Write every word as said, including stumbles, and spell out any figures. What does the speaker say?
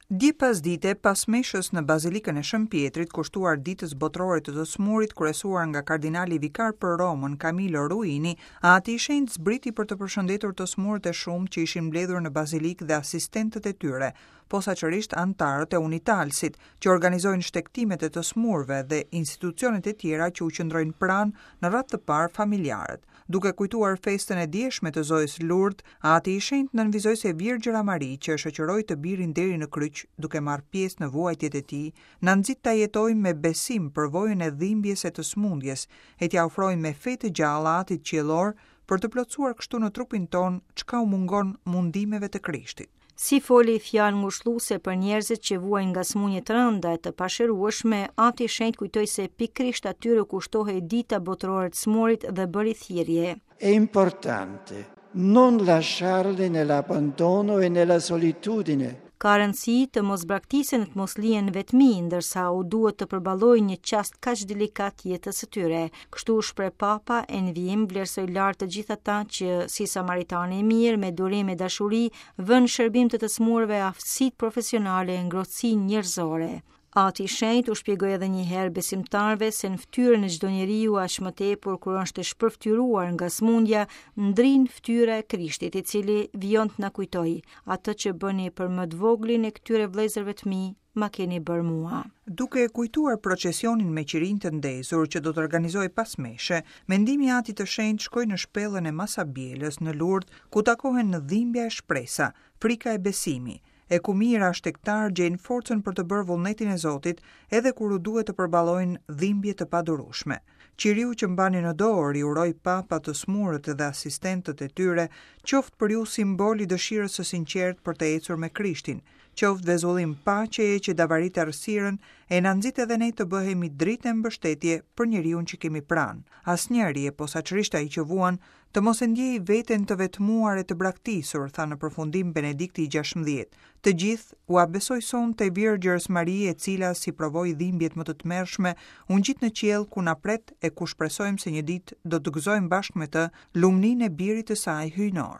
Dje pasdite, pas meshës në Bazilikën e Shën Pietrit, kushtuar Ditës Botërore të të Smurit, kryesuar nga kardinali vikar për Romën, Camillo Ruini, Ati i Shenjtë zbriti për të përshëndetur të smurët e shumtë që ishin mbledhur në bazilikë dhe asistentët e tyre, posaçërisht anëtarët e Unitalsit, që organizojnë shtegtimet e të smurëve dhe institucionet e tjera që u qëndrojnë pranë në radhë të parë familjarët. Duke kujtuar festën e djeshme të Zojës Lourdes, Ati i Shenjtë nënvizoi se Virgjëra Mari, që e shoqëroi të birin deri në kryq, duke marrë pjesë në vuajtjet e tij, na nxit ta jetojmë me besim përvojën e dhimbjes e të smundjes, e t'ia ofrojmë me fe të gjallë Atit Qiellor për të plotësuar kështu në trupin tonë çka u mungon mundimeve të Krishtit. Si foli fjalë ngushëlluese për njerëzit që vuajnë nga sëmundje të rënda e të pashërueshme, Ati i Shenjtë kujtoi se pikërisht atyre kushtohej Dita Botërore të Smurit dhe bëri thirrje. È importante non lasciarli nell'abbandono e nella solitudine. Ka rëndësi të mos braktisen e të mos lihen vetmi, ndërsa u duhet të përballojnë një çast kaq delikat jetës së tyre. Kështu u shpreh Papa e në vijim vlerësoi lart të gjithë ata që, si Samaritani i mirë, me durim e dashuri, vënë shërbim të të smurëve aftësitë profesionale e ngrohtësinë njerëzore. Ati i Shenjtë u shpjegoi edhe një herë besimtarëve se në fytyrën e çdo njeriu, aq më tepër kur është e shpërfytyruar nga smundja, ndrin fytyra e Krishtit, i cili vijon të na kujtojë: atë që bëni për më të voglin e këtyre vëllezërve të mi, ma keni bërë mua. Duke kujtuar procesionin me qirinj të ndezur që do të organizohej pas meshe, mendimi i Atit të Shenjtë shkoi në shpellën e Masabielës në Lourdes, ku takohen në dhimbja e shpresa, frika e besimi, e ku mijëra shtegtar gjejnë forcën për të bërë vullnetin e Zotit edhe kur u duhet të përballojnë dhimbje të padurueshme. Qiriu që mbani në dorë i uroi Papa të smurët dhe asistentët e tyre, qoftë për ju simbol i dëshirës së sinqertë për të ecur me Krishtin, qoftë vezullim paqeje që davarit errësirën e na nxit edhe ne të bëhemi dritë e mbështetje për njeriun që kemi pranë. Asnjëri, e posaçërisht ai që vuan, të mos e ndjejë veten të vetmuar e të braktisur, tha në përfundim Benedikti i gjashtëmbëdhjetë. Të gjithë ua besoj sonte Virgjërës Mari, e cila si provoi dhimbjet më të tmerrshme, u ngjit në qiell ku na pret e ku shpresojmë se një ditë do të gëzojmë bashkë me të lumninë e birit të saj hyjnor.